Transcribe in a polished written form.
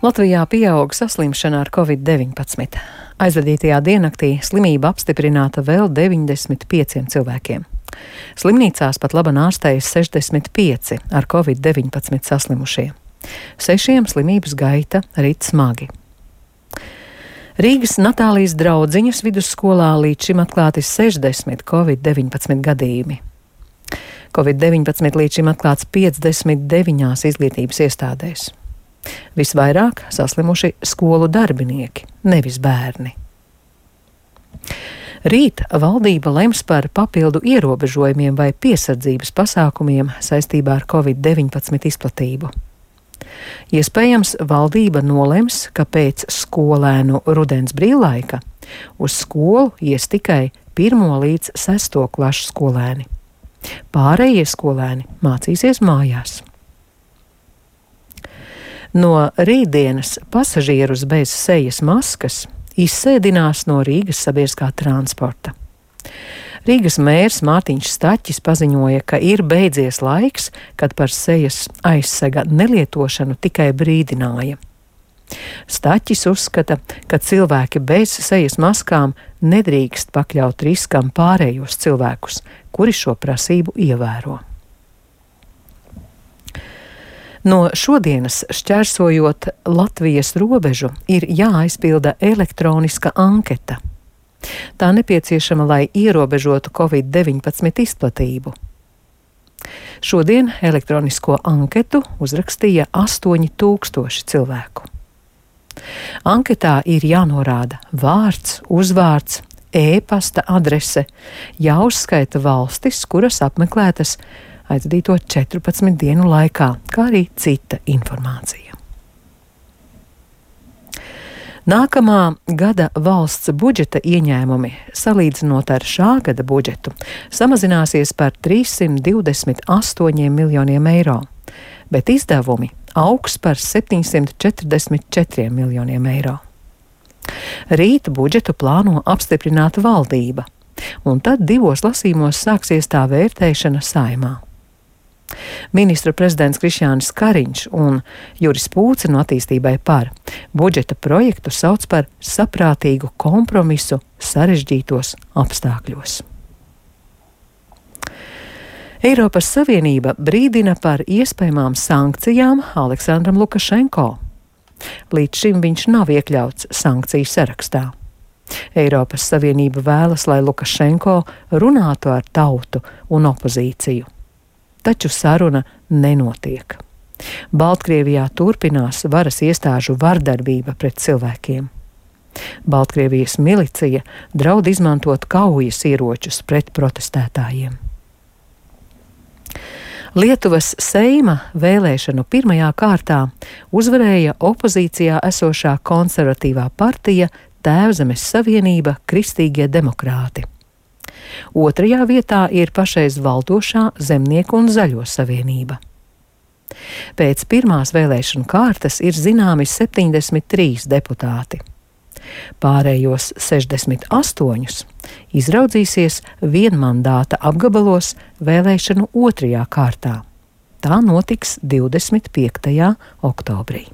Latvijā pieaug saslimšana ar Covid-19. Aizvadītajā diennaktī slimība apstiprināta vēl 95 cilvēkiem. Slimnīcās pat laban ārstējas 65 ar Covid-19 saslimušie. 6 slimības gaita rit smagi. Rīgas Natālijas draudziņas vidusskolā līdz šim atklāti 60 Covid-19 gadījumi. Covid-19 līdz šim atklāts 59 izglītības iestādēs. Visvairāk saslimuši skolu darbinieki, nevis bērni. Rīt valdība lems par papildu ierobežojumiem vai piesardzības pasākumiem saistībā ar Covid-19 izplatību. Iespējams, valdība nolems, ka pēc skolēnu rudens brīvlaika uz skolu ies tikai 1. līdz 6. klašu skolēni. Pārējie skolēni mācīsies mājās. No rītdienas pasažierus bez sejas maskas izsēdinās no Rīgas sabiedriskā transporta. Rīgas mērs Mārtiņš Staķis paziņoja, ka ir beidzies laiks, kad par sejas aizsega nelietošanu tikai brīdināja. Staķis uzskata, ka cilvēki bez sejas maskām nedrīkst pakļaut riskam pārējos cilvēkus, kuri šo prasību ievēro. No šodienas šķērsojot Latvijas robežu ir jāaizpilda elektroniska anketa. Tā nepieciešama, lai ierobežotu Covid-19 izplatību. Šodien elektronisko anketu uzrakstīja 8000 cilvēku. Anketā ir jānorāda vārds, uzvārds, e-pasta adrese, jāuzskaita valstis, kuras apmeklētas aizvadīto 14 dienu laikā, kā arī cita informācija. Nākamā gada valsts budžeta ieņēmumi, salīdzinot ar šā gada budžetu, samazināsies par 328 miljoniem eiro, bet izdevumi augs par 744 miljoniem eiro. Rīt budžetu plāno apstiprināt valdība, un tad 2 lasījumos sāksies tā vērtēšana Saeimā. Ministru prezidents Krišjānis Kariņš un Juris Pūce no Attīstībai par budžeta projektu sauc par saprātīgu kompromisu sarežģītos apstākļos. Eiropas Savienība brīdina par iespējamām sankcijām Aleksandram Lukašenko. Līdz šim viņš nav iekļauts sankciju sarakstā. Eiropas Savienība vēlas, lai Lukašenko runātu ar tautu un opozīciju. Taču saruna nenotiek. Baltkrievijā turpinās varas iestāžu vardarbība pret cilvēkiem. Baltkrievijas milicija draud izmantot kaujas ieročus pret protestētājiem. Lietuvas Seima vēlēšanu pirmajā kārtā uzvarēja opozīcijā esošā konservatīvā partija Tēvzemes Savienība Kristīgie demokrāti. Otrajā vietā ir pašreiz valdošā Zemnieku un Zaļo savienība. Pēc pirmās vēlēšanu kārtas ir zināmi 73 deputāti. Pārējos 68 izraudzīsies vienmandāta apgabalos vēlēšanu otrajā kārtā. Tā notiks 25. oktobrī.